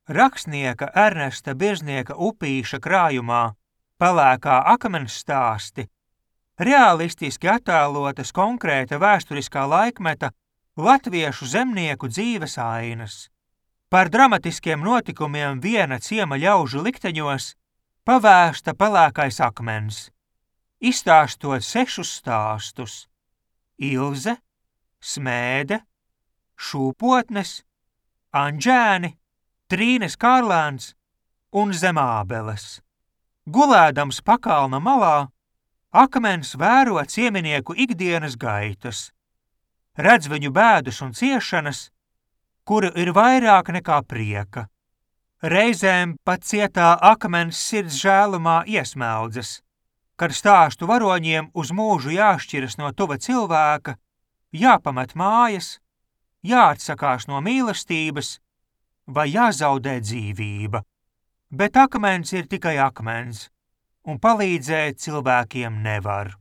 Rakstnieka Ernesta Birznieka Upīša krājumā Pelēkā akmens stāsti realistiski attēlotas konkrēta vēsturiskā laikmeta latviešu zemnieku dzīves ainas. Par dramatiskiem notikumiem viena ciema ļaužu likteņos pavēsta Pelēkais akmens, izstāstot 6 stāstus – Ilze, Smēde, Šūpotnes, Anģēni, Trīnes Kārlēns un Zemābeles. Gulēdams pakalna malā, akmens vēro cieminieku ikdienas gaitas, redz viņu bēdas un ciešanas, kuru ir vairāk nekā prieka. Reizēm pat cietā akmens sirds žēlumā iesmeldzas, kad stāstu varoņiem uz mūžu jāšķiras no tuva cilvēka, jāpamet mājas, jāatsakās no mīlestības vai jāzaudē dzīvība. Bet akmens ir tikai akmens, un palīdzēt cilvēkiem nevar.